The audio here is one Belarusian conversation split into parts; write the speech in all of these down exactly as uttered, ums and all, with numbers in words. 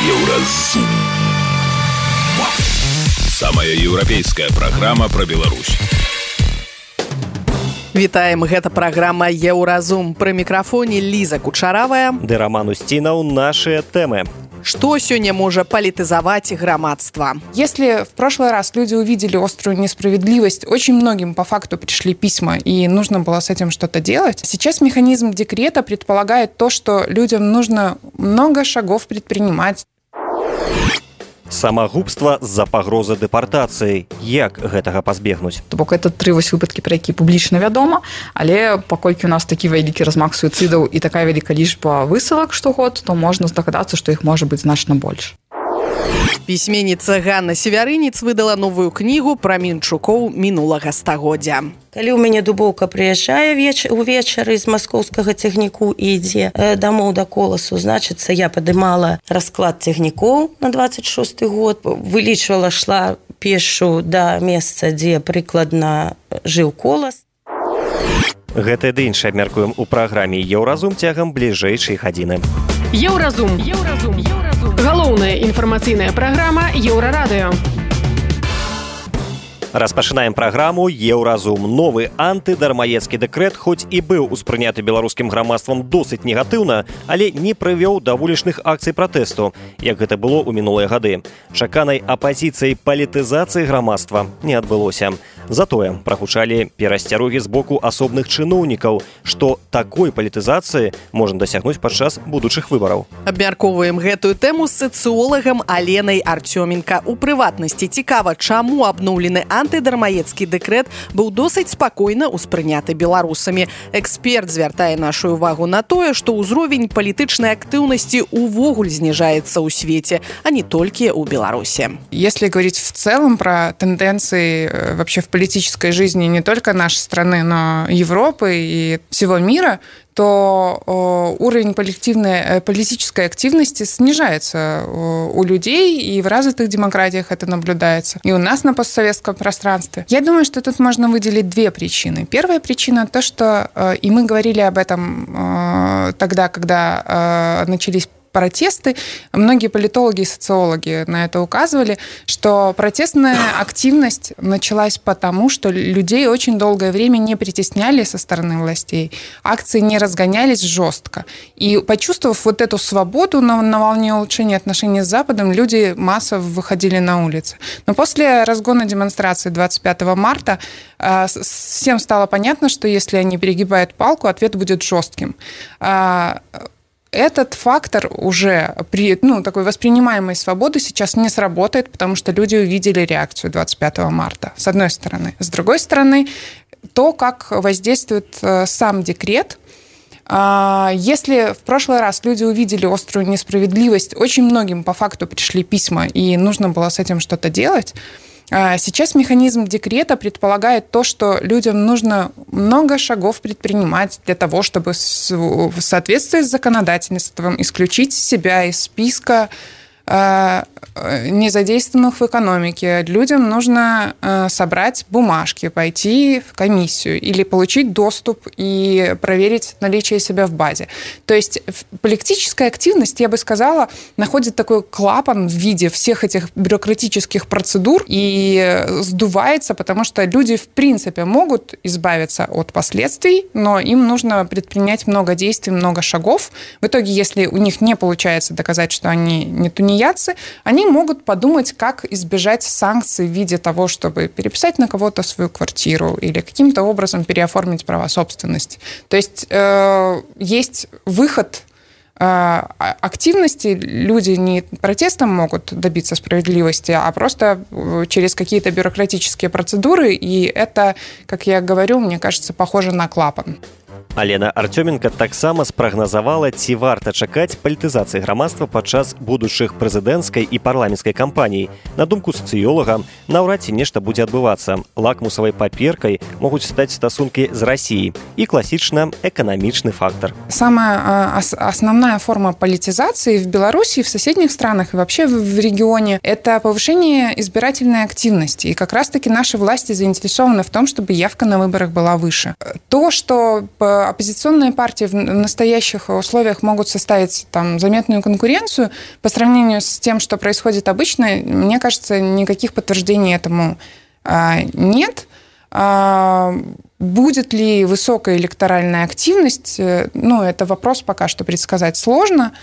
Еўразум. Самая еўрапейская праграма пра Беларусь. Вітаем, гэта праграма Еўразум. Пры мікрафоне Ліза Кучаравая ды Роман Устинаў. Нашыя тэмы. Что сегодня может политизовать громадство? Если в прошлый раз люди увидели острую несправедливость, очень многим по факту пришли письма, и нужно было с этим что-то делать. Сейчас механизм декрета предполагает то, что людям нужно много шагов предпринимать. Самагубства з-за пагрозы дэпартацыі. Як гэтага пазбегнуць? То бок это тры вось выпадкі, пра які публічна вядома, але паколькі у нас такі вялікі размах суіцыдаў і такая вялікая лічба высылак штогод, то можна здагадацца, што іх можа быць значна больш. Пісьменніца Ганна Севярынец выдала новую кнігу пра мінчукоў мінулага стагоддзя. Калі ў мяне дубоўка прыязджае веч... увечары з маскоўскага цягніку і ідзе э, дамоў да коласу, значыцца, я падымала расклад цягнікоў на дваццаць шосты год, вылічвала, шла пешшу да месца, дзе прыкладна жыў колас. Гэтае ды іншае абмяркуем у праграме Еўразум цягам бліжэйшай гадзіны. Еўразум. Еўразум. Еўразум. Галоўная інфармацыйная праграма Еўрарадыё. Распачынаем праграму Еўразум. Новы антыдармаедскі дэкрэт хоць і быў успрыняты беларускім грамадствам досыць негатыўна, але не прывёў да вулічных акцый пратэсту, як гэта было ў мінулыя гады. Чаканай апазіцыяй палітызацыі грамадства не адбылося. Затое прагучалі перасцярогі з боку асобных чыноўнікаў, што такой палітызацыі можна дасягнуць падчас будучых выбараў. Абмяркоўваем гэтую тэму з сацыолагам Аленай Артёменка. У прыватнасці цікава, чаму абноўлены антыдармаедскі дэкрэт быў досыць спакойна ўспрыняты беларусамі. Эксперт звяртае нашу увагу на тое, што ўзровень палітычнай актыўнасці увогуле зніжаецца ў свеце, а не толькі ў Беларусі. Если говорить в целом про тенденции вообще в политической жизни не только нашей страны, но Европы и всего мира, то уровень коллективной политической активности снижается у людей, и в развитых демократиях это наблюдается, и у нас на постсоветском пространстве. Я думаю, что тут можно выделить две причины. Первая причина – то, что, и мы говорили об этом тогда, когда начались протесты, многие политологи и социологи на это указывали, что протестная активность началась потому, что людей очень долгое время не притесняли со стороны властей, акции не разгонялись жестко. И почувствовав вот эту свободу на, на волне улучшения отношений с Западом, люди массово выходили на улицы. Но после разгона демонстрации двадцать пятого марта э, всем стало понятно, что если они перегибают палку, ответ будет жестким. Э, Этот фактор уже при ну, такой воспринимаемой свободы сейчас не сработает, потому что люди увидели реакцию двадцать пятого марта, с одной стороны. С другой стороны, то, как воздействует сам декрет. Если в прошлый раз люди увидели острую несправедливость, очень многим по факту пришли письма, и нужно было с этим что-то делать. Сейчас механизм декрета предполагает то, что людям нужно много шагов предпринимать для того, чтобы в соответствии с законодательством исключить себя из списка незадействованных в экономике. Людям нужно собрать бумажки, пойти в комиссию или получить доступ и проверить наличие себя в базе. То есть политическая активность, я бы сказала, находит такой клапан в виде всех этих бюрократических процедур и сдувается, потому что люди в принципе могут избавиться от последствий, но им нужно предпринять много действий, много шагов. В итоге, если у них не получается доказать, что они не тунеядцы, они могут подумать, как избежать санкций в виде того, чтобы переписать на кого-то свою квартиру или каким-то образом переоформить права собственности. То есть э, есть выход э, активности. Люди не протестом могут добиться справедливости, а просто через какие-то бюрократические процедуры. И это, как я говорю, мне кажется, похоже на клапан. Алена Артёменка таксама спрагназавала, ці варта чакаць палітызацыі грамадства падчас будучых прэзідэнцкай і парламенцкай кампаній. На думку сацыёлага, наўрад ці нешта будзе адбывацца. Лакмусавай паперкай могуць стаць стасункі з Расіяй і класічна эканамічны фактор. Самая основная форма политизации в Беларуси, в соседних странах и вообще в регионе – это повышение избирательной активности. И как раз-таки наши власти заинтересованы в том, чтобы явка на выборах была выше. То, что оппозиционные партии в настоящих условиях могут составить там заметную конкуренцию по сравнению с тем, что происходит обычно, мне кажется, никаких подтверждений этому нет. Будет ли высокая электоральная активность? Ну, это вопрос пока что предсказать сложно.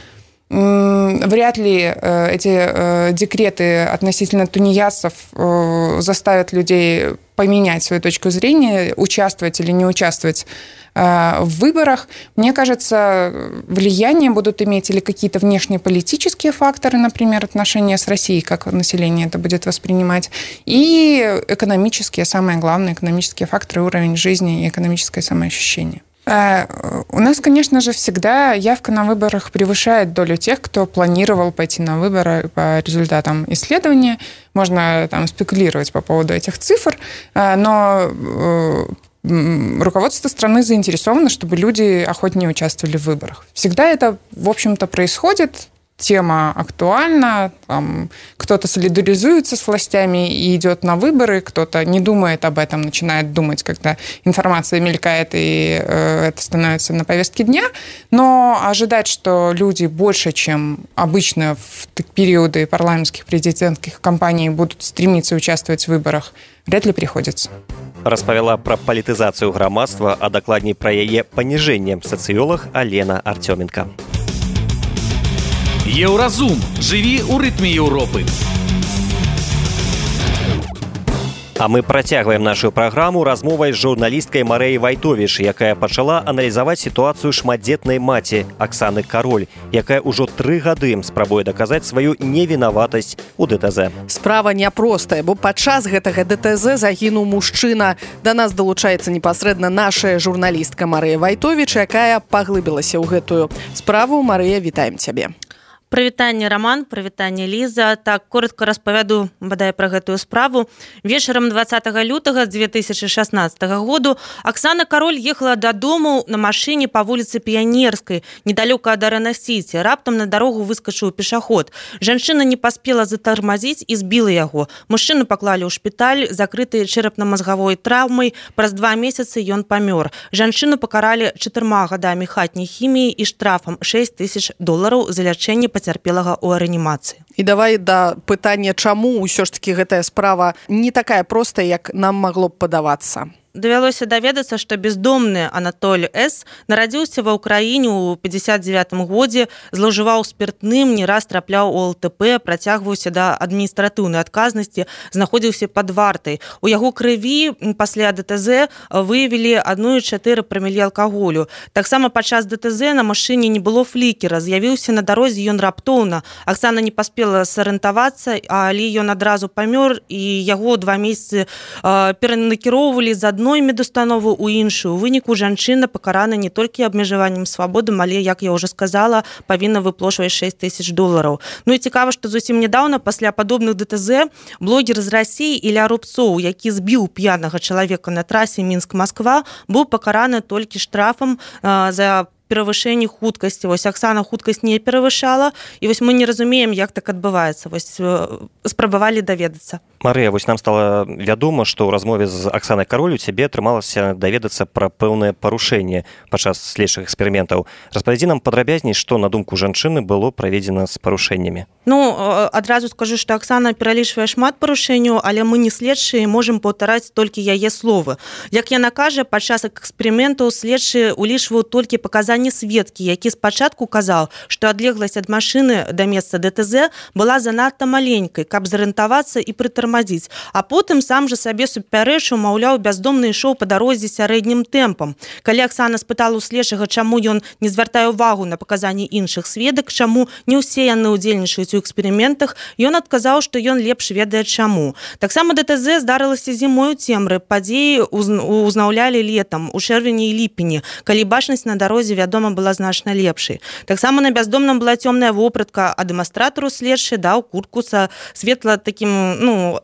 Вряд ли эти декреты относительно тунеядцев заставят людей поменять свою точку зрения, участвовать или не участвовать в выборах. Мне кажется, влияние будут иметь или какие-то внешнеполитические факторы, например, отношения с Россией, как население это будет воспринимать, и экономические, самое главное, экономические факторы, уровень жизни и экономическое самоощущение. У нас, конечно же, всегда явка на выборах превышает долю тех, кто планировал пойти на выборы по результатам исследования. Можно там спекулировать по поводу этих цифр, но руководство страны заинтересовано, чтобы люди охотнее участвовали в выборах. Всегда это, в общем-то, происходит. Тема актуальна, там, кто-то солидаризуется с властями и идет на выборы, кто-то не думает об этом, начинает думать, когда информация мелькает, и э, это становится на повестке дня. Но ожидать, что люди больше, чем обычно в периоды парламентских президентских кампаний будут стремиться участвовать в выборах, вряд ли приходится. Распавяла пра палітызацыю грамадства, а дакладней пра яе паніжэнне сацыёлаг Алена Артёменка. Еўразум. Жыві ў рытме Еўропы. А мы працягваем нашу праграму размовай з журналісткай Марэяй Вайтовіч, якая пачала аналізаваць сітуацыю шматдзетнай маці Аксаны Кароль, якая ўжо тры гады спрабуе даказаць сваю невінаватасць у ДТЗ. Справа няпростая, бо падчас гэтага ДТЗ загінуў мужчына. Да нас далучаецца непасрэдна наша журналістка Марэя Вайтовіч, якая паглыбілася ў гэтую справу. Марыя, вітаем цябе. Прывітанне, Роман, прывітанне, Ліза. Так, коротко распавяду, бадай, пра гэтую справу. Вечарам двадцатага лютага дзве тысячы шаснаццатага году Аксана Кароль ехала дадому на машыне па вуліцы Піянерскай, недалёка ад Арена-Сіці. Раптам на дарогу выскачыў пешаход. Жанчына не паспела затармазіць і збіла яго. Мужчыну паклалі ў шпіталь, закрыты чэрапна-мазгавой траўмай. Праз два месяцы ён памёр. Жанчыну пакаралі чатырма гадамі хатняй хіміі і штрафам шэсць тысяч долараў за лячэнне пацярпелага ў рэанімацыі. І давай да пытання, чаму ўсё ж такі гэтая справа не такая простая, як нам магло б падавацца. Давялося даведацца, што бездомны Анатоль С. нарадзіўся ва ўкраіне ў пятьдесят девятым годзе, злоўжываў спіртным, не раз трапляў у ЛТП, працягваўся да адміністратыўнай адказнасці, знаходзіўся пад вартай. У яго крыві пасля ДТЗ выявілі адну і чатыры прамілі алкаголю. Таксама падчас ДТЗ на машыне не было флікера, з'явіўся на дарозе ён раптоўна. Аксана не паспела сарыентавацца, але ён адразу памёр, і яго два месяцы перанакіроўвалі з адной медустановы ў іншую. У выніку жанчына пакарана не толькі абмежаваннем свабоды, але, як я ўжо сказала, павінна выплошваць шэсць тысяч долараў. Ну і цікава, што зусім нядаўна пасля падобных ДТЗ блогер з Расіі Ілля Рубцоў, які збіў п'янага чалавека на трасе Мінск-Масква, быў пакараны толькі штрафам а, за перавышэнне хуткасці. Вось Аксана хуткасць не перавышала, і вось мы не разумеем, як так адбываецца. Вось спрабавалі даведацца. Марыя, вось нам стала вядома, што ў размове з Аксанай Кароль у цябе атрымалася даведацца пра пэўнае парушэнне падчас следчых эксперыментаў. Распавядзі нам падрабязней, што, на думку жанчыны, было праведзена з парушэннямі. Ну, адразу скажу, што Аксана пералічвае шмат парушэнняў, але мы не следчыя і можам паўтараць толькі яе словы. Як яна кажа, падчас эксперыментаў следчыя улічваў толькі паказанні сведкі, які спачатку казаў, што адлегласць ад машыны да месца ДТЗ была занадта маленькай, каб зарыентавацца і прытармазіць. А потым сам жа сабе супярэчыў, маўляў, бяздомны ішоў па дарозе сярэднім тэмпам. Калі Аксана спытала ў следчага, чаму ён не звяртае ўвагу на паказанні іншых сведак, чаму не ўсе яны ўдзельнічаюць у эксперыментах, ён адказаў, што ён лепш ведае чаму. Таксама ДТЗ здарылася зімой у цемры, падзеі узнаўлялі летам, у чэрвені і ліпені, калі бачнасць на дарозе, вядома, была значна лепшай. Таксама на бяздомным была цёмная вопратка, а дэманстратару следчы даў куртку са светла такім, ну,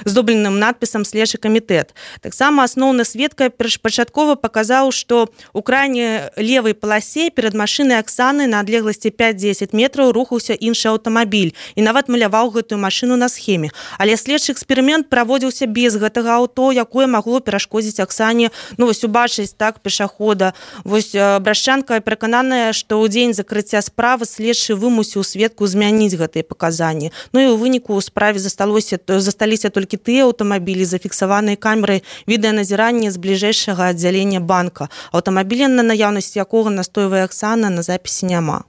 здобленым надпісам «Следчы камітэт». Таксама асноўны сведка першапачаткова паказаў, што ў крайняй левай паласе перад машынай Аксаны на адлегласці пяць-дзесяць метраў рухаўся іншы аўтамобіль. аўтамабіль і нават маляваў гэтую машыну на схеме. Але следчы эксперымент праводзіўся без гэтага аўто, якое магло перашкодзіць Аксане, ну вось убачыць так пешахода. Вось Брашчанка перакананая, што ў дзень закрыцця справы следчы вымусіў сведку змяніць гэтыя паказанні. Ну і ў выніку ў справе засталося засталіся толькі тыя аўтамабілі, зафіксаваныя камерай відэаназірання з бліжэйшага аддзялення банка. Аўтамабіля, на наяўнасць якога настойвае Аксана, на запісе няма.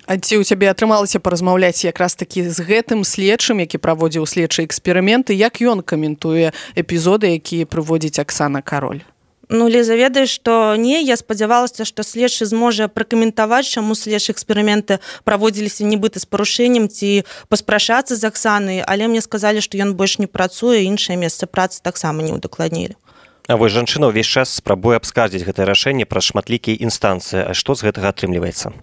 А ці ў цябе атрымалася паразмаўляць якраз такі з гэтым следчым, які праводзіў следчыя эксперыменты, як ён каментуе эпізоды, якія прыводзіць Аксана Кароль? Ну, Ліза, ведаеш, што не, я спадзявалася, што следчы зможа пракаментаваць, чаму следчыя эксперыменты праводзіліся нібыта з парушэннем ці паспрашацца з Аксанай, але мне сказалі, што ён больш не працуе, іншае месца працы таксама не ўдакладнілі. А вось жанчына ўвесь час спрабуе абскардзіць гэтае рашэнне праз шматлікія інстанцыі. А што з гэтага атрымліваецца?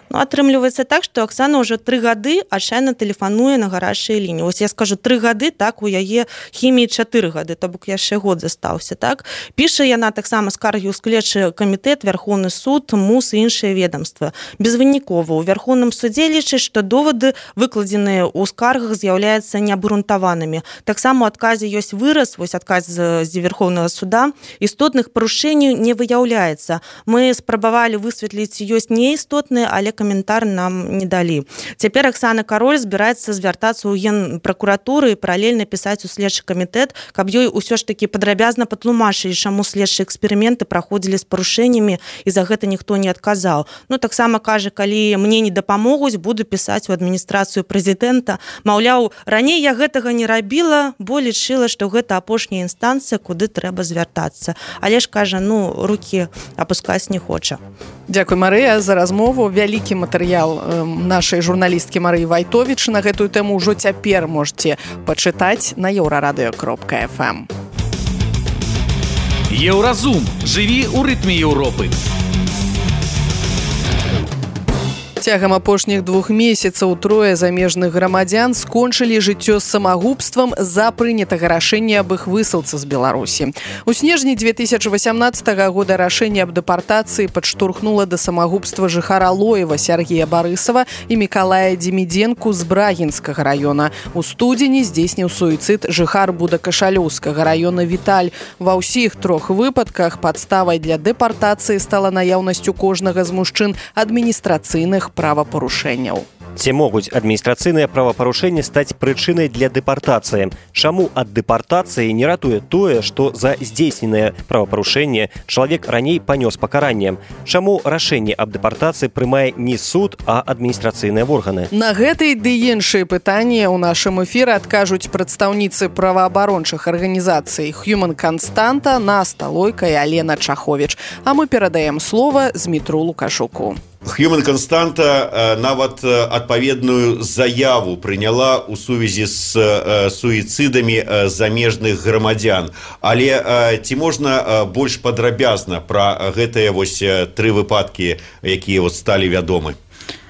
Ну, атрымліваецца так, што Аксана ўжо тры гады адчайна тэлефануе на гарачыя лініі. Вось я скажу, тры гады, так, у яе хіміі чатыры гады, то бок яшчэ год застаўся, так. Піша яна таксама скаргі ў следчы камітэт, Вярхоўны суд, МУС і іншыя ведомства. Безвынікова. У Вярхоўным судзе лічаць, што довады, выкладзеныя ў скаргах, з'яўляюцца неабгрунтаванымі. Таксама ў адказе ёсць выраз, вось адказ з Верхоўнага суда, істотных парушэнняў не выяўляецца. Мы спрабавалі высветліць, ёсць неістотныя, але каментар нам не далі. Цяпер Аксана Кароль збіраецца звяртацца ў генпракуратуры і паралельна пісаць у следчы камітэт, каб ёй усё ж такі падрабязна патлумачылі, чаму следчыя эксперыменты праходзілі з парушэннямі і за гэта ніхто не адказаў. Ну, таксама кажа, калі мне не дапамогуць, буду пісаць у адміністрацыю прэзідэнта. Маўляў, раней я гэтага не рабіла, бо лічыла, што гэта апошняя інстанцыя, куды трэба звяртацца. Але ж, кажа, ну, рукі апускаць не хоча. Дзякуй, Марыя, за размову. Вялікі матэрыял нашай журналісткі Марыі Вайтовіч на гэтую тэму ўжо цяпер можете пачытаць на еўрарадыё кропка эф эм. Еўразум. Жыві ў рытме Еўропы. Цягам апошніх двух месяцаў трое замежных грамадзян скончылі жыццё самагубствам з-за прынятага рашэння аб іх высылцы з Беларусі. У снежні две тысячи восемнадцатого года рашэнне аб дэпартацыі падштурхнула да самагубства жыхара Лоева Сергея Барысава і Мікалая Демідзенку з Брагінскага района. У студзені здзейсніў суіцыд жыхар Будакашалёўскага района Віталь. Ва ўсіх трох выпадках падставай для дэпартацыі стала наяўнасць у кожнага з мужчын адміністрацыйных правапарушэнняў. Ці могуць адміністрацыйныя правапарушэнні стаць прычынай для дэпартацыі? Чаму ад дэпартацыі не ратуе тое, што за здзейсненае правапарушэнне чалавек раней панёс пакаранне? Чаму рашэнне аб дэпартацыі прымае не суд, а адміністрацыйныя органы? На гэтыя ды іншыя пытанні ў нашым эфіры адкажуць прадстаўніцы праваабарончых арганізацый Human Константа, Наста Лойка і Алена Чаховіч. А мы перадаем слова Змітру Лукашуку. Human Константа нават адпаведную заяву прыняла ў сувязі з суіцыдамі замежных грамадзян. Але ці можна больш падрабязна пра гэтыя вось тры выпадкі, якія вот сталі вядомы?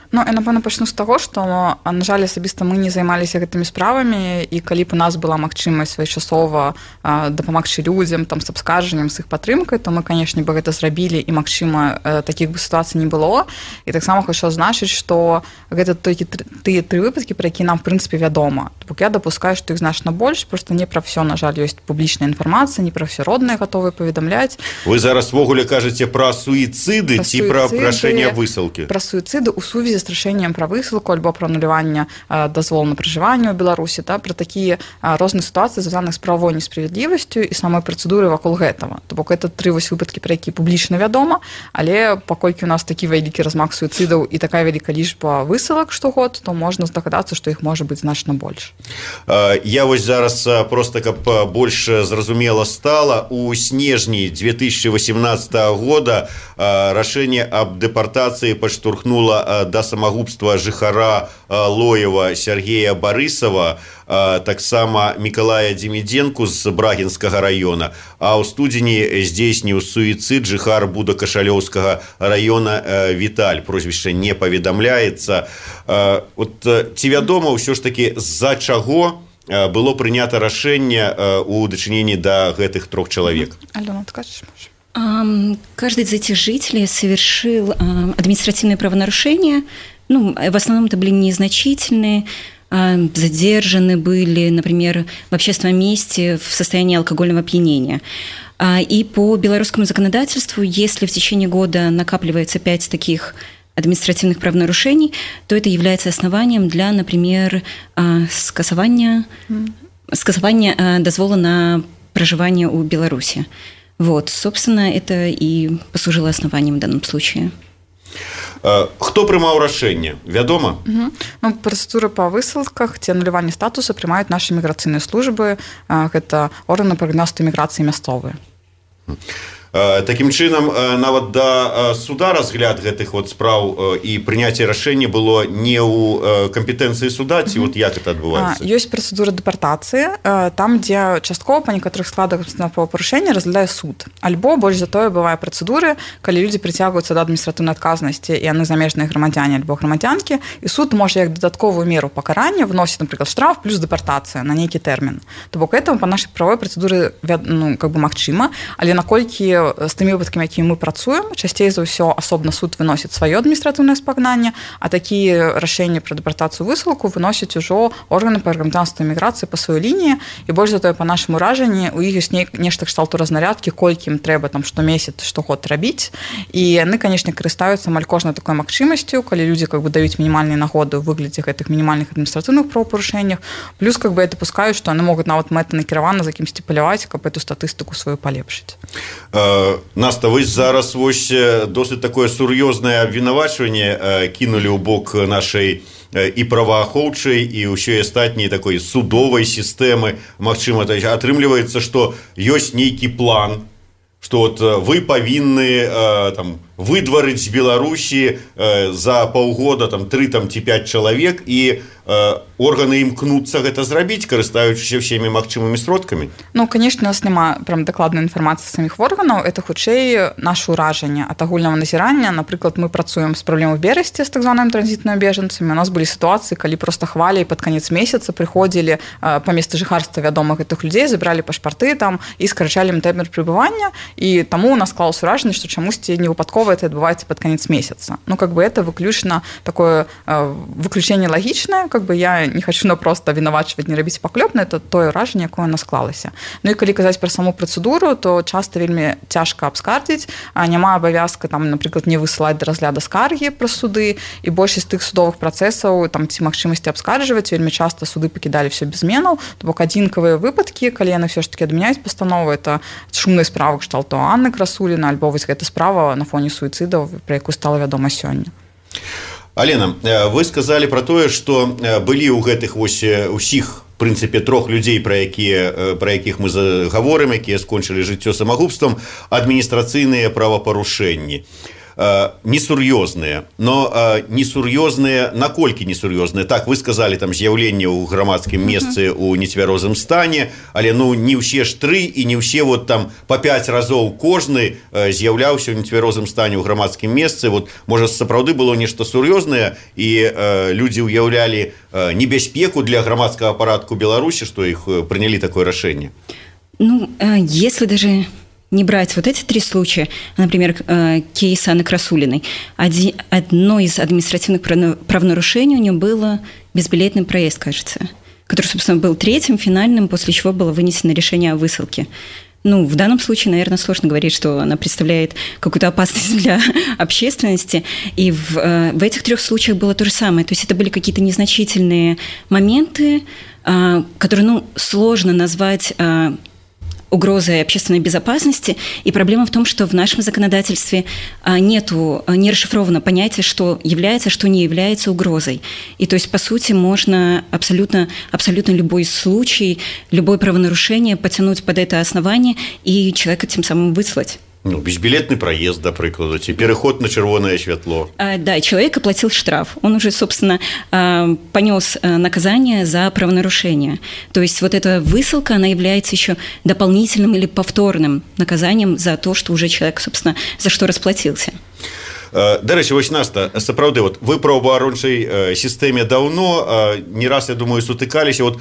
Ну, я, напэўна, пачну з таго, што, на жаль, асабіста мы не займаліся гэтымі справамі, і калі б у нас была магчымасць своечасова дапамагчы людзям там, з абскаржаннем, з іх падтрымкай, то мы, канешне, бы гэта зрабілі, і, магчыма, такіх бы сітуацый не было. І таксама хочу азначыць, што гэта толькі тыя тры выпадкі, пра якія нам, в прынцыпе, вядома. Бок я дапускаю, што іх значна больш, проста не пра ўсё, на жаль, ёсць публічная інфармацыя, не пра ўсё родныя гатовыя паведамляць. Вы зараз ввогуле кажаце пра суіцыды ці пра прашэнне высылкі? Пра суіцыды ў сувязі з рашэннем пра высылку альбо пра ануляванне дазволу на пражыванне ў Беларусі, да, пра такія розныя сітуацыі, звязаныя з правовой несправядлівасцю і самой працэдуры вакол гэтага. То бок гэта тры вось выпадкі, пра якія публічна вядома, але паколькі у нас такі вялікі размах суіцыдаў і такая вялікая лічба высылак штогод, то можна здагадацца, што іх можа быць значна больш. Я вось зараз проста, каб больш зразумела стала, у снежні две тысячи восемнадцатого года рашэнне аб дэпартацыі падштурхнула да самагубства жыхара Лоева Сергея Барысава, таксама Мікалая Демідзенку з Брагінскага района, а ў студзені здзейсніў суіцыд жыхар Будакашалёўскага района Віталь. Прозвішча не паведамляецца. От, ці вядома ўсё ж такі, з-за чаго было прынята рашэнне ў дачыненні да гэтых трох чалавек? Алена, скажешь, можешь? Каждый из этих жителей совершил административное правонарушение, Ну, в основном это были незначительные, задержаны были, например, в общественном месте в состоянии алкогольного опьянения. И по белорусскому законодательству, если в течение года накапливается пять таких административных правонарушений, то это является основанием для, например, скасования, скасования дозвола на проживание у Беларуси. Вот, собственно, это и послужило основанием в данном случае. Хто прымаў рашэнне, вядома? Угу. Ну, працэдуры па высылках ці ануляванні статуса прымаюць нашы міграцыйныя службы, гэта органы па грамадскай міграцыі мясцовыя. Такім чынам, нават да суда разгляд гэтых вот спраў і прыняцце рашэння было не ў кампетэнцыі суда, ці вот як это адбываецца? Ёсць працэдура дэпартацыі, там, дзе часткова па некаторых складах правапарушэння разглядае суд. Альбо больш за тое бывае працэдуры, калі людзі прыцягваюцца да адміністратыўнай адказнасці, і яны замежныя грамадзяне альбо грамадзянкі, і суд можа як дадатковую меру пакарання вносіць, напрыклад, штраф плюс дэпартацыя на нейкі тэрмін. То бок этого па нашай правовой працэдуры, ну, как бы магчыма, але наколькі з тымі выпадкамі, якімі мы працуем, часцей за ўсё асобна суд выносіць сваё адміністратыўнае спагнанне, а такія рашэнні пра дэпартацыю высылку выносяць ужо органы па грамадзянскай міграцыі па сваёй лініі, і больш за тое па нашаму ражанні у іх ёсць нешта кшталту разнарядкі, колькі ім трэба там штомесяц, штогод рабіць, і яны, канешне, карыстаюцца амаль кожнай такой магчымасцю, калі людзі как бы даюць мінімальныя нагоды ў выглядзе гэтых мінімальных адміністратыўных правапарушэннях, плюс как бы это пускаюць, што яны могуць нават мэтанакіравана за кімсьці паляваць, каб эту статыстыку сваю палепшыць. Наста, вось зараз вось досыць такое сур'ёзнае абвінавачванне кінулі ў бок нашай і праваахоўчай, і ўсё астатняй такой судовай сістэмы. Магчыма, атрымліваецца, што ёсць нейкі план, што вот вы павінны там выдварыць з Беларусі за паўгода там тры там ці пяць чалавек, і органы імкнуцца гэта зрабіць, карыстаючыся ўсімі магчымымі сродкамі? Ну, канешне, у нас няма прям дакладнай інфармацыі саміх органаў, это хутчэй наше ўражанне ад агульнага назірання. Напрыклад, мы працуем з праблемай у Берасці з так званымі транзітнымі бежанцамі. У нас былі сітуацыі, калі проста хваляй пад канец месяца прыходзілі па месцы жыхарства вядомых гэтых людзей, забралі пашпарты там і скарачалі ім тэрмін прыбывання, і таму у нас склалася ўражанне, што чамусьці не выпадкова это адбываецца пад канец месяца. Ну, как бы это выключна такое выключэнне лагічнае, как бы я не хочу просто вінавачваць, не рабіць паклёпна, это тое ўражанне, якое нас склалася. Ну і калі казаць пра саму працэдуру, то часта вельмі цяжка абскардзіць, няма абавязка там, напрыклад, не высылаць да разгляда скаргі пра суды, і большасць тых судовых працэсаў там ці магчымасці абскарджваць, вельмі часта суды пакідалі все без зменаў, то бок адзінкавыя выпадкі, калі яны все ж таки адмяняюць пастанову, это шумныя справы кшталту Анны Красуліна, альбо вось гэта справа на фоне суіцыдаў, пра якую стала вядома сёння. Алена, вы сказалі пра тое, што былі ў гэтых вось усіх, в прынцыпе, трох людзей, пра якія, пра якіх мы гаворым, якія скончылі жыццё самагубствам, адміністрацыйныя правапарушэнні. Несур'ёзныя, но несур'ёзныя, наколькі несур'ёзныя? Так, вы сказалі, там з'яўленне ў грамадскім месцы ў нецвярозым стане, але ну не ўсе ж тры і не ўсе вот там па пяць разоў кожны з'яўляўся ў нецвярозым стане ў грамадскім месцы. Вот, можа, сапраўды было нешта сур'ёзнае, і людзі ўяўлялі небяспеку для грамадскага парадку Беларусі, што іх прынялі такое рашэнне? Ну, если даже не брать вот эти три случая, например, кейс Анны Красулиной, одно из административных правонарушений у нее было безбилетный проезд, кажется, который, собственно, был третьим, финальным, после чего было вынесено решение о высылке. Ну, в данном случае, наверное, сложно говорить, что она представляет какую-то опасность для общественности. И в, в этих трех случаях было то же самое. То есть это были какие-то незначительные моменты, которые, ну, сложно назвать угрозой общественной безопасности, и проблема в том, что в нашем законодательстве нету, не расшифровано понятие, что является, что не является угрозой. И то есть, по сути, можно абсолютно, абсолютно любой случай, любое правонарушение потянуть под это основание и человека тем самым выслать. Ну, безбилетный проезд, да, прикладу, переход на червоное святло. А, да, человек оплатил штраф. Он уже, собственно, понес наказание за правонарушение. То есть вот эта высылка, она является еще дополнительным или повторным наказанием за то, что уже человек, собственно, за что расплатился. Дарэчы, вось Наста, сапраўды, вот вы праваабарончай сістэме даўно, не раз, я думаю, сутыкаліся. Вот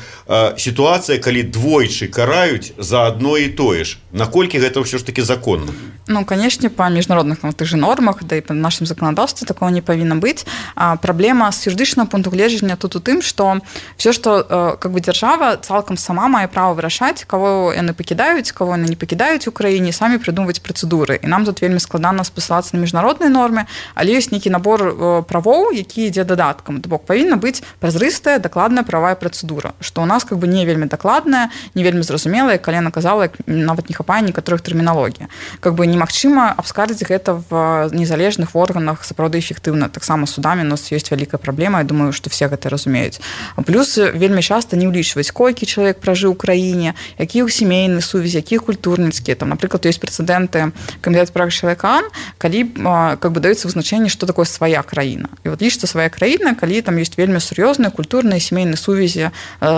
сітуацыя, калі двойчы караюць за одно і тое ж, наколькі гэта ўсё ж таки законна? Ну, конечно, по международных там, тых же нормах, да и по нашему законодательству такого не повинно быть. А проблема с юридичного пункту гледжання тут у тым, что все, что как бы держава цалкам сама мае право вырашаць, кого яны пакідаюць, кого яны не пакідаюць у краіне, самі придумываць працэдуры. І нам тут вельмі складана спасылацца на міжнародныя нормы, але ёсць нейкі набор правоў, які ідзе дадаткам. То бок павінна быць празрыстая, дакладная правая працэдура, што у нас как бы не вельмі дакладная, не вельмі зразумелая, калі яна казала, нават не хапае некаторых тэрміналогій. Как бы немагчыма абскардзіць гэта в незалежных органах сапраўды эфектыўна. Таксама судамі у нас ёсць вялікая праблема, я думаю, што все гэта разумеюць. Плюс вельмі часта не ўлічваюць, колькі чалавек пражыў у краіне, якія ў сямейныя сувязі, якія культурніцкія. Там, напрыклад, ёсць прэцэдэнты камітэта прав чалавека, калі как бы даецца вызначэнне, што такое свая краіна. І вот лічыцца свая краіна, калі там ёсць вельмі сур'ёзныя культурныя сямейныя сувязі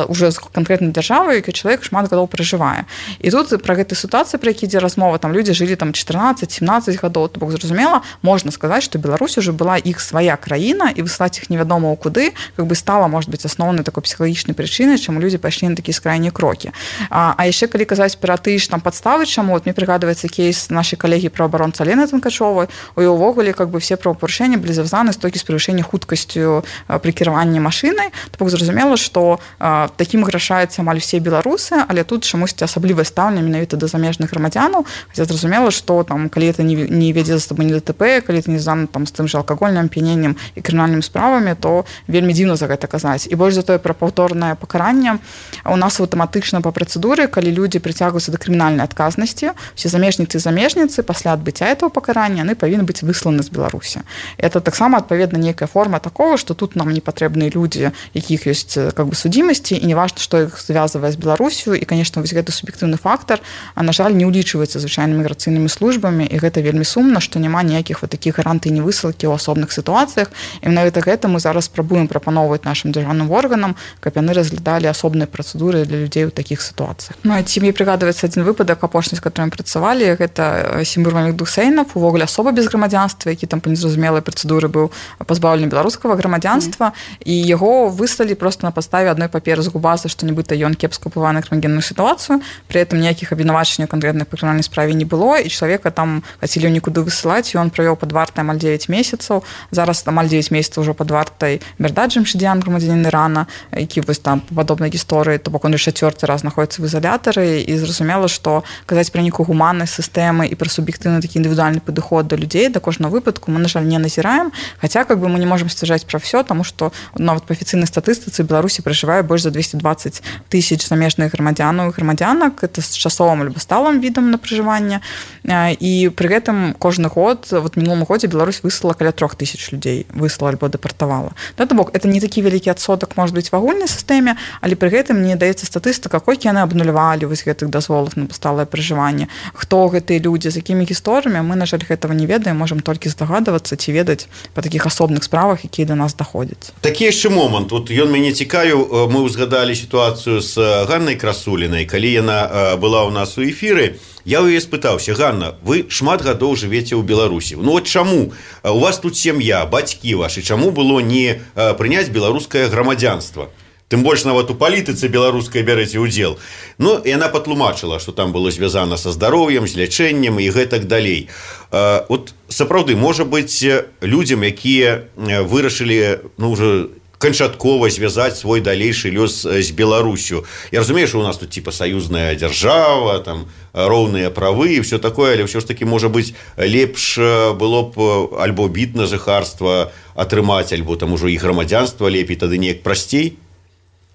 уже з канкрэтнай дзяржавай, які чалавек шмат гадоў пражывае. І тут пра гэтай сітуацыі, пра які ідзе размова, там людзі жылі там чатырнаццаць-семнаццаць гадоў, то бок зразумела, можна сказаць, што Беларусь уже была іх свая краіна, і высылаць іх невядома ў куды как бы стала, может быть, асноўнай такой псіхалагічнай прычынай, чаму людзі пайшлі на такія скрайнія крокі. А, а яшчэ калі казаць пра тыя ж там падставы, чаму вот мне прыгадваецца кейс нашай калегі праваабаронцы Алены Танкачовай, у яе ўвогуле как бы все правапарушэнні былі звязаны з толькі з перавышэннем хуткасцю пры кіраванні машынай. То бок зразумела, што а, такім грашаюцца амаль усе беларусы, але тут чамусьці асаблівае стаўленне менавіта да замежных грамадзянаў, хаця зразумела, што там калі это не, не вядзе за сабой не ДТП, калі это не звязана там з тым жа алкагольным ап'яненнем і крымінальнымі справамі, то вельмі дзіўна за гэта казаць. І больш за тое пра паўторнае пакаранне у нас аўтаматычна па працэдуры, калі людзі прыцягваюцца да крымінальнай адказнасці, усе замежніцы і замежніцы пасля адбыцця этого пакарання яны павінны быць высланы з Беларусі. Это таксама адпаведна нейкая форма такого, што тут нам не патрэбныя людзі, якіх ёсць как бы судзімасці, і не важна, што іх звязвае з Беларусю. І конечно, вось гэты суб'ектыўны фактар, а на жаль, не ўлічваецца звычайнымі міграцыйнымі службамі, і гэта вельмі сумна, што няма ніякіх вот такіх гарантый невысылкі ў асобных сітуацыях. І менавіта гэта мы зараз спрабуем прапаноўваць нашим дзяржаўным органам, каб яны разглядалі асобныя працэдуры для людзей у такіх сітуацыях. Ну, ці мне прыгадваецца адзін выпадак апошні, з которым працавалі, гэта Сімур Мамедхусейнов, увогуле асоба без грамадзянства, які там па незразумелай працэдуры быў пазбаўлены беларускага грамадзянства, mm. і яго выслалі просто на падставе адной паперы з губазы, што нібыта ён кепска ўплывае на крымінальную сітуацыю, пры этом ніякіх абвінавачанняў канкрэтнай па крымінальнай справе не было, і чалавека там хацелі нікуды высылаць, і ён правёў пад вартай амаль дзевяць месяцаў. Зараз амаль дзевяць месяцаў ўжо пад вартай Мердат Джамшидян, грамадзянін Ірана, які вось там па падобнай гісторыі, то бок он яшчэ чацвёрты раз знаходіцца в изолятары, і зразумела, што казаць пра нейкую гуманнасць сістэмы і пра суб'ектыўны такі індывідуальны падыход да людзей, да кожнага выпадку мы, на жаль, не назіраем, хаця как бы мы не можам сцвярджаць пра ўсё, таму што нават па афіцыйнай статыстыцы Беларусі пражывае больш за двести двадцать тысяч замежных грамадзянаў і грамадзянак, это з часовым альбо сталым відам на пражыванне, і пры гэтым кожны год, вот мінулым годзе Беларусь выслала каля трох тысяч людзей, выслала альбо дэпартавала. Да, то бок это не такі вялікі адсотак может быць в агульнай сістэме, але пры гэтым не даецца статыстыка, колькі яны абнулявалі вось гэтых дазволаў на сталае пражыванне, хто гэтыя людзі, з якімі гісторыямі, мы, на жаль, гэтага не ведаем, можам толькі здагадвацца ці ведаць па такіх асобных справах, якія да нас даходзяць. Такі яшчэ момант, вот ён мяне цікавіў, мы ўзгадалі сітуацыю з Ганнай Красулінай, калі яна была ў нас у эфіры. Я ў яе спытаўся: Ганна, вы шмат гадоў жывеце ў Беларусі. Ну вот чаму? У вас тут сям'я, бацькі вашы, чаму было не прыняць беларускае грамадзянства? Тым больш нават у палітыцы беларускай бярэце ўдзел. Ну, і яна патлумачыла, што там было звязана са здароўем, з лячэннем і гэтак далей. Вот сапраўды, можа быць, людзям, якія вырашылі, ну, уже канчаткова звязаць свой далейшы лёс з Беларусю. Я разумею, што у нас тут типа саюзная дзяржава, там роўныя правы і все такое, але ўсё ж таки, можа быць, лепш было б альбо біт на жыхарства атрымаць, альбо там ужо і грамадзянства лепей, тады неяк прасцей.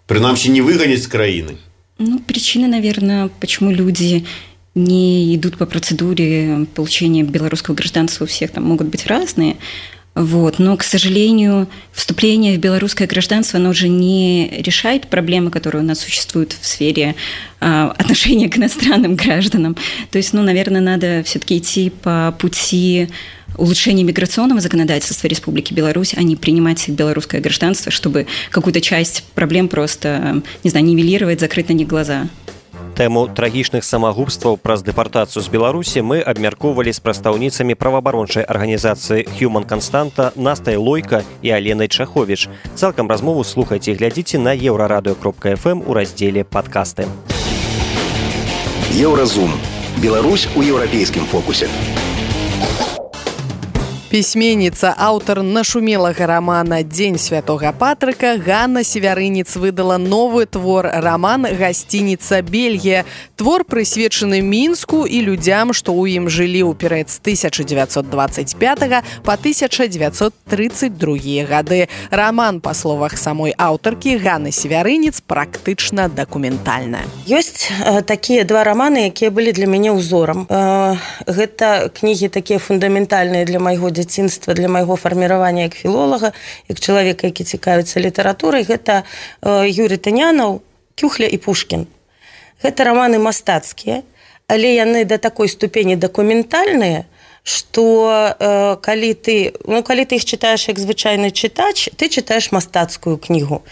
Прынамсі, не выгонять с краины. Ну, причины, наверное, почему люди не идут по процедуре получения белорусского гражданства, у всех там могут быть разные. Вот. Но, к сожалению, вступление в белорусское гражданство, оно уже не решает проблемы, которые у нас существуют в сфере а, отношения к иностранным гражданам. То есть, ну, наверное, надо все-таки идти по пути улучшения миграционного законодательства Республики Беларусь, а не принимать белорусское гражданство, чтобы какую-то часть проблем просто, не знаю, нивелировать, закрыть на них глаза. Тэму трагічных самагубстваў праз дэпартацыю з Беларусі мы абмяркоўвалі з прадстаўніцамі праваабарончай арганізацыі Human Константа Настай Лойка і Аленай Чаховіч. Цалкам размову слухайце і глядзіце на еўрарадыё кропка эф эм у раздзеле «Падкасты». Еўразум. Беларусь у еўрапейскім фокусе. Пісьменніца, аўтар нашумелага рамана «Дзень святога Патрыка» Ганна Севярынец выдала новы твор, раман «Гасцініца Бельгія». Твор прысвечаны Мінску і людзям, што ў ім жылі ў перыяд з тысяча дзевяцьсот дваццаць пятага па тысяча дзевяцьсот трыццаць другія гады. Раман, па словах самой аўтаркі Ганны Севярынец, практычна дакументальная. Ёсць э, такія два раманы, якія былі для мяне ўзорам. Э, гэта кнігі такія фундаментальныя для майго дзяцінства, для майго фарміравання як філолага, як чалавека, які цікавіцца літаратурай. Гэта э, Юрий Тынянаў, Кюхля і Пушкін. Гэта раманы мастацкія, але яны да такой ступені дакументальныя, што э, калі ты, ну, калі ты іх чытаеш як звычайны чытач, ты чытаеш мастацкую кнігу.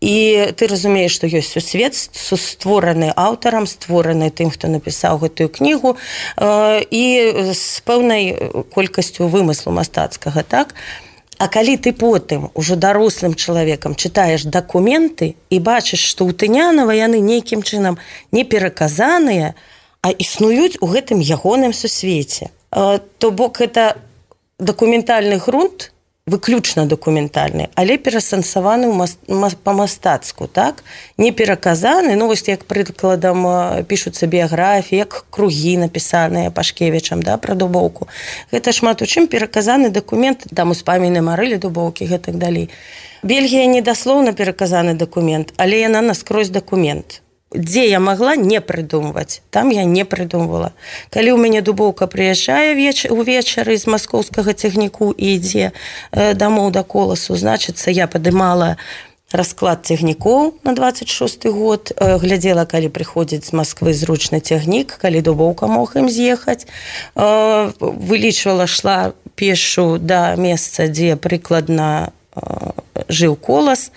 І ты разумееш, што ёсць сусвет, створаны аўтарам, створаны тым, хто напісаў гэтую кнігу, э, і з пэўнай колькасцю вымыслу мастацкага, так? А калі ты потым ужо дарослым чалавекам чытаеш дакументы і бачыш, што ў Тынянава яны нейкім чынам не пераказаныя, а існуюць у гэтым ягоным сусвеце. То бок гэта дакументальны грунт, выключна дакументальны, але перасэнсаваны па-мастацку, так? Не пераказаны, ну вось як прыкладам пішуцца біяграфіі, як кругі напісаныя Пашкевічам, да, пра Дубоўку. Гэта шмат у чым пераказаны дакумент, там успаміны Марылі Дубоўкі і гэтак далей. Бельгія не даслоўна пераказаны дакумент, але яна наскрозь дакумент. Дзе я магла не прыдумваць, там я не прыдумвала. Калі ў мяне Дубоўка прыязджае веч... увечары з маскоўскага цягніку і ідзе э, дамоў да Коласу, значыцца, я падымала расклад цягнікоў на дваццаць шосты год, э, глядзела, калі прыходзіць з Масквы зручны цягнік, калі Дубоўка мог ім з'ехаць, э, вылічвала, шла пешу да месца, дзе прыкладна жыў Колас,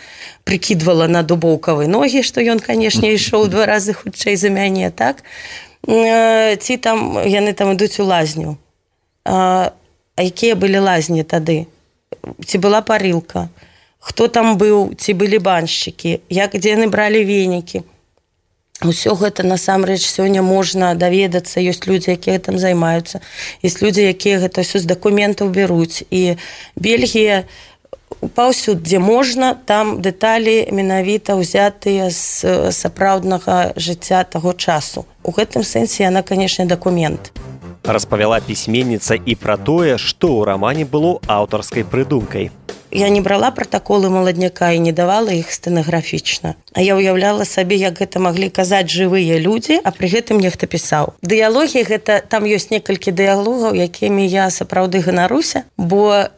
прыкідвала на Дубоўкавы ногі, што ён, канешне, ішоў два разы хутчэй за мяне, так? Ці там, яны там ідуць у лазню. А, а якія былі лазні тады? Ці была парылка? Хто там быў? Ці былі баншчыкі? Як, дзе яны бралі венікі? Усё гэта, насамрэч, сёння можна даведацца. Ёсць людзі, якія там займаюцца. Ёсць людзі, якія гэта ўсё з дакументаў беруць. І Бельгія паўсюд, дзе можна, там дэталі менавіта ўзятыя з сапраўднага жыцця таго часу. У гэтым сэнсе яна, канешне, дакумент. Распавяла пісьменніца і пра тое, што ў рамане было аўтарскай прыдумкай. Я не брала пратаколы маладняка і не давала іх стэнаграфічна. А я ўяўляла сабе, як гэта маглі казаць жывыя людзі, а пры гэтым нехта пісаў. Дыялогі, гэта, там ёсць некалькі дыялогаў, якімі я сапраўды ганаруся, бо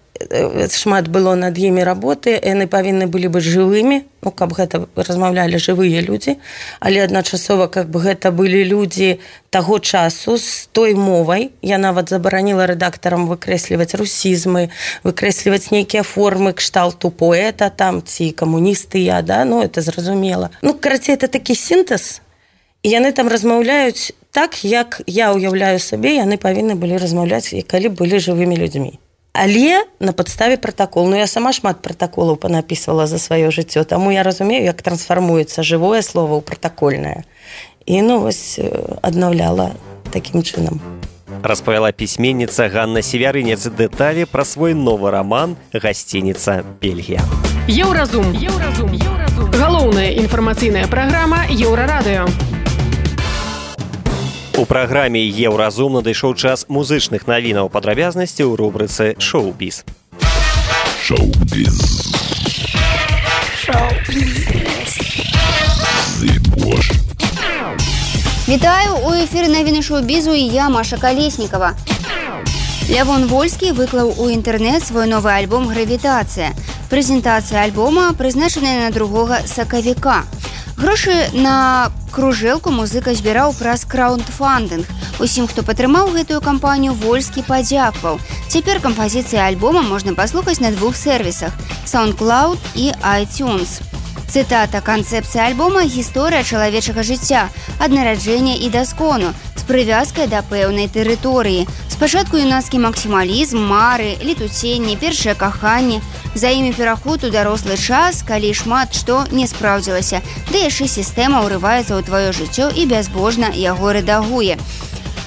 шмат было над імі работы, яны павінны былі быць жывымі, ну, каб гэта размаўлялі жывыя людзі, але адначасова, каб гэта былі людзі таго часу з той мовай. Я нават забараніла рэдактарам выкрэсліваць русізмы, выкрэсліваць нейкія формы кшталту поэта там, ці камуністы я, да, ну, это зразумела. Ну, карацей, это такі сінтэз, і яны там размаўляюць так, як я ўяўляю сабе, яны павінны былі размаўляць, калі былі жывымі людзьмі. Але на падставе пратакол. Ну, я сама шмат пратаколаў панапісвала за сваё жыццё, таму я разумею, як трансфармуецца жывое слова ў пратакольнае. І, ну, вось, аднаўляла такім чынам. Распавяла пісьменніца Ганна Севярынец дэталі пра свой новы раман «Гасцініца Бельгія». Еўразум. Еўразум. Еўразум. Галоўная інфармацыйная праграма Еўрарадыё. У праграме «Еўразум» надышоў час музычных навінаў, падрабязнасці ў рубрыцы «Шоу-біз». Шоу-біз. Шоу-біз. Вітаю, у эфіры навіны шоу-бізу і я, Маша Калеснікава. Лявон Вольскі выклаў у інтэрнэт свой новы альбом «Гравітацыя». Прэзентацыя альбома прызначаная на другога сакавіка. Грошы на кружэлку музыка збіраў праз краундфандынг. Усім, хто падтрымаў гэтую кампанію, Вольскі падзякваў. Цяпер кампазіцыі альбома можна паслухаць на двух сервісах – SoundCloud і iTunes. Цытата: «Канцэпцыя альбома – гісторыя чалавечага жыцця, ад нараджэння і да скону, з прывязкай да пэўнай тэрыторыі. Спачатку юнацкі максімалізм, мары, летуценне, першае каханне, за імі пераход у дарослы час, калі шмат што не спраўдзілася, да яшчэ сістэма ўрываецца ў тваё жыццё і бязбожна яго рэдагуе.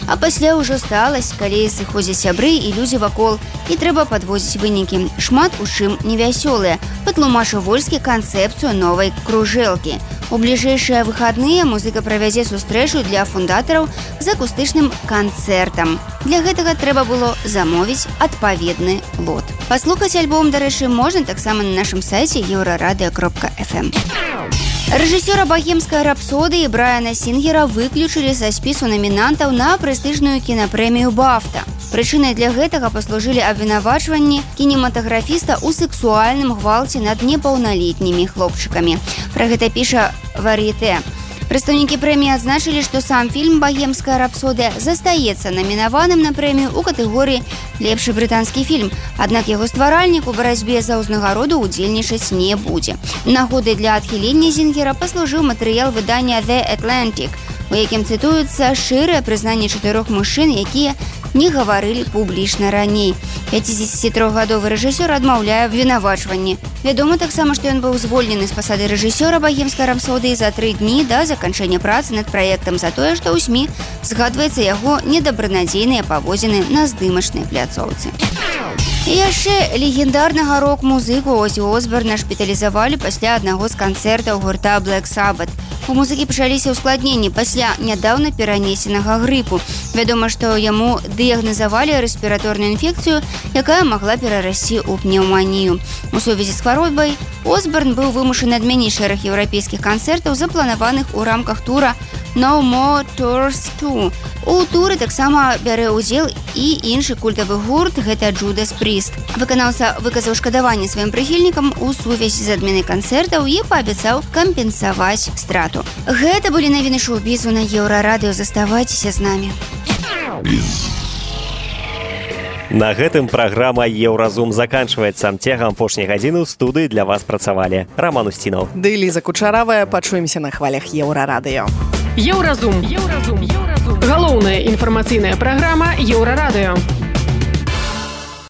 А пасля ўжо сталасць, калі сыходзяць сябры і людзі вакол, і трэба падвозіць вынікі. Шмат у чым невясёлыя», патлумачыў Вольскі канцэпцыю новай кружэлкі. У бліжэйшыя выхадныя музыка правядзе сустрэчу для фундатараў з акустычным канцэртам. Для гэтага трэба было замовіць адпаведны лот. Паслухаць альбом, дарэчы, можна таксама на нашым сайце еўрарадыё кропка эф эм. Рэжысёра «Богемскай рапсодыі» Брайана Сінгера выключылі са спісу намінантаў на прэстыжную кінапрэмію «Бафта». Прычынай для гэтага паслужылі абвінавачванні кінематаграфіста ў сексуальным гвалце над непаўналетнімі хлопчыкамі. Пра гэта піша «Вар'етэ». Прадстаўнікі прэміі адзначылі, што сам фільм «Богемская рапсодыя» застаецца намінаваным на прэмію ў катэгорыі «Лепшы брытанскі фільм», аднак яго стваральнік у барацьбе за ўзнагароду ўдзельнічаць не будзе. Нагодай для адхілення Зінгера паслужыў матэрыял выдання «The Atlantic», у якім цытуецца шчырае прызнанне чатырох мужчын, якія не гаварылі публічна раней. пяцідзесяцітрохгадовы рэжысёр адмаўляе абвінавачванні. Вядома таксама, што ён быў звольнены з пасады рэжысёра «Богемскай рапсодыі» за тры дні да заканчэння працы над праектам за тое, што ў СМІ згадваецца яго недабранадзейныя паводзіны на здымачнай пляцоўцы. І яшчэ легендарнага рок-музыку Озі Осборна шпіталізавалі пасля аднаго з канцэртаў гурта Black Sabbath. У музыкі пачаліся ўскладненні пасля нядаўна перанесенага грыпу. Вядома, што яму дыягназавалі рэспіраторную інфекцыю, якая магла перарасці ў пнеўманію. У сувязі з хваробай Осборн быў вымушаны адмяніць шэраг еўрапейскіх канцэртаў, запланаваных у рамках тура «No More Tours два». У туры таксама бярэ ўдзел і іншы культавы гурт, гэта «Judas Priest». Выканаўца выказаў шкадаванне сваім прыхільнікам у сувязі з адменай канцэртаў і паабяцаў кампенсаваць страту. Гэта былі навіны шоу-бізу на Еўрарадыё. Заставайцеся з намі. На гэтым праграма «Еўразум» заканчваецца. Цягам апошняй гадзіны ў студыі для вас працавалі Роман Устінаў. Ды Ліза Кучаравая. Пачуемся на хвалях Еўрарадыё. Еўразум. Еўразум. Галоўная інфармацыйная праграма Еўрарадыё.